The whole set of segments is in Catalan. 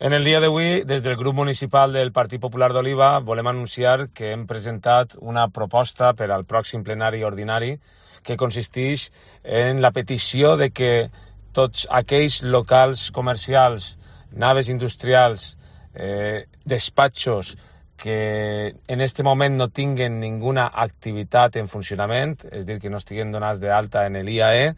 En el dia d'avui, des del grup municipal del Partit Popular d'Oliva, volem anunciar que hem presentat una proposta per al pròxim plenari ordinari que consisteix en la petició de que tots aquells locals comercials, naves industrials, despatxos que en este moment no tinguen ninguna activitat en funcionament, és a dir, que no estiguen donats d'alta en l'IAE,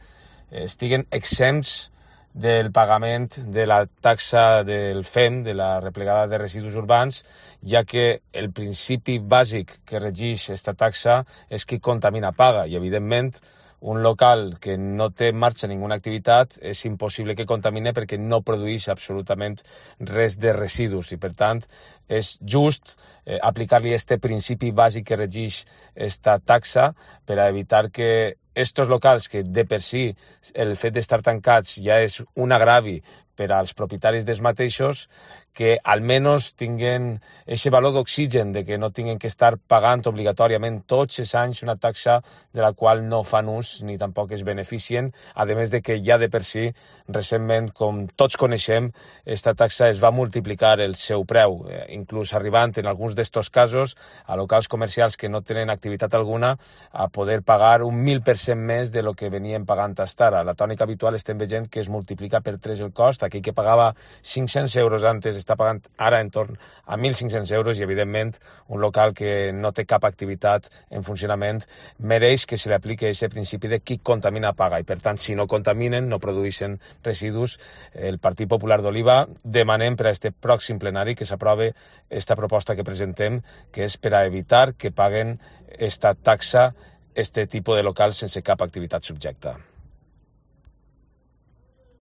estiguen exempts del pagament de la taxa del FEM, de la replegada de residus urbans, ja que el principi bàsic que regeix aquesta taxa és qui contamina paga, i evidentment un local que no té en marxa ninguna activitat és impossible que contamine perquè no produeix absolutament res de residus i per tant és just aplicar-li este principi bàsic que regeix esta taxa per a evitar que estos locals, que de per si el fet d'estar tancats ja és un agravi per als propietaris dels mateixos, que almenys tinguen aquest valor d'oxigen de que no tinguen que estar pagant obligatòriament tots els anys una taxa de la qual no fan ús ni tampoc es beneficien, a més de que ja de per si, recentment, com tots coneixem, aquesta taxa es va multiplicar el seu preu, inclús arribant en alguns d'estos casos a locals comercials que no tenen activitat alguna a poder pagar un 1.000% més de lo que venien pagant fins ara. La tònica habitual estem veient que es multiplica per 3 el cost. Aquell que pagava 500 euros antes està pagant ara en torn a 1.500 euros i, evidentment, un local que no té cap activitat en funcionament mereix que se li apliqui aquest principi de qui contamina paga i, per tant, si no contaminen, no produeixen residus. El Partit Popular d'Oliva demanem per a aquest pròxim plenari que s'aprove aquesta proposta que presentem, que és per a evitar que paguen aquesta taxa este tipus de locals sense cap activitat subjecta.